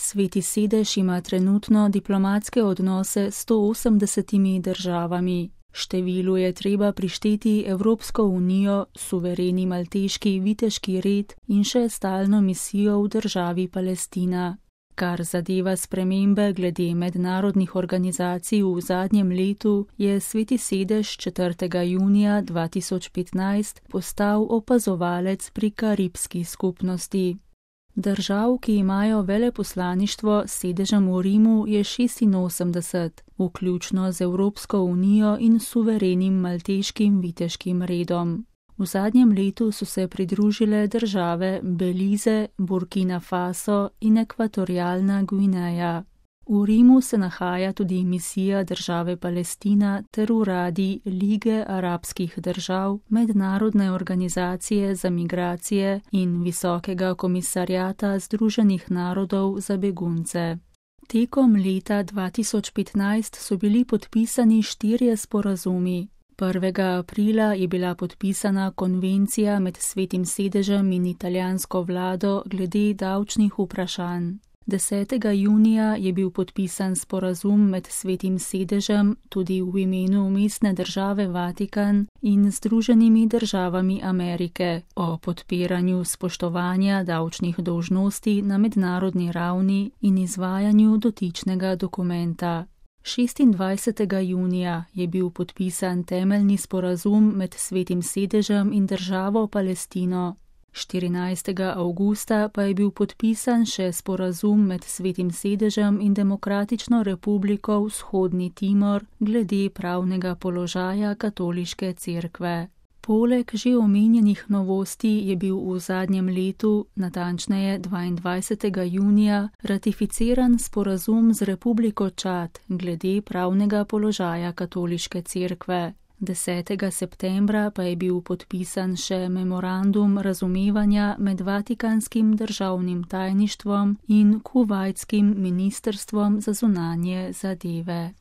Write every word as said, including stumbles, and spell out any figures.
Sveti sedež ima trenutno diplomatske odnose s sto osemdesetimi državami. Številu je treba prišteti Evropsko unijo, suvereni malteški viteški red in še stalno misijo v državi Palestina. Kar zadeva spremembe glede mednarodnih organizacij v zadnjem letu, je Sveti sedež četrtega junija dva tisoč petnajst postal opazovalec pri Karibski skupnosti. Držav, ki imajo veleposlaništvo s sedežem v Rimu, je šestinosemdeset, vključno z Evropsko unijo in suverenim malteškim viteškim redom. V zadnjem letu so se pridružile države Belize, Burkina Faso in Ekvatorialna Gvineja. V Rimu se nahaja tudi misija države Palestina ter uradi Lige arabskih držav, Mednarodne organizacije za migracije in Visokega komisarjata Združenih narodov za begunce. Tekom leta dva tisoč petnajst so bili podpisani štirje sporazumi. prvega aprila je bila podpisana konvencija med Svetim sedežem in italijansko vlado glede davčnih vprašanj. desetega junija je bil podpisan sporazum med Svetim sedežem, tudi v imenu mestne države Vatikan in Združenimi državami Amerike, o podpiranju spoštovanja davčnih dolžnosti na mednarodni ravni in izvajanju dotičnega dokumenta. šestindvajsetega junija je bil podpisan temeljni sporazum med Svetim sedežem in državo Palestino. štirinajstega avgusta pa je bil podpisan še sporazum med Svetim sedežem in Demokratično republiko Vzhodni Timor glede pravnega položaja katoliške cerkve. Poleg že omenjenih novosti je bil v zadnjem letu, natančneje dvaindvajsetega junija, ratificiran sporazum z Republiko Čad glede pravnega položaja katoliške cerkve. desetega septembra pa je bil podpisan še memorandum razumevanja med Vatikanskim državnim tajništvom in Kuvajtskim ministrstvom za zunanje zadeve.